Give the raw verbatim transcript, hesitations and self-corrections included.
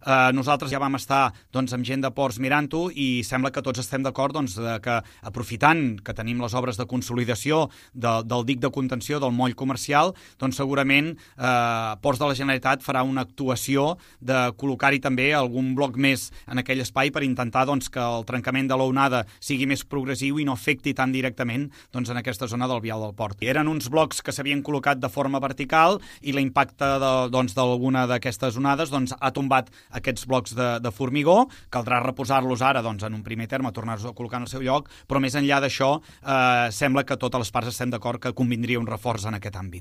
Uh, nosaltres ja vam estar doncs, amb gent de Ports mirant-ho i sembla que tots estem d'acord doncs, de que aprofitant que tenim les obres de consolidació de, del dic de contenció del moll comercial, doncs segurament uh, Ports de la Generalitat farà una actuació de col·locar-hi també algun bloc més en aquell espai per intentar doncs, que el trencament de l'onada sigui més progressiu i no afecti tan directament doncs, en aquesta zona del vial del port. Eren uns blocs que s'havien col·locat de forma vertical i l'impacte d'alguna doncs, d'aquestes onades doncs, ha tombat aquests blocs de, de formigó. Caldrà reposar-los ara doncs, en un primer terme, tornar-los a col·locar en el seu lloc, però més enllà d'això eh, sembla que totes les parts estem d'acord que convindria un reforç en aquest àmbit.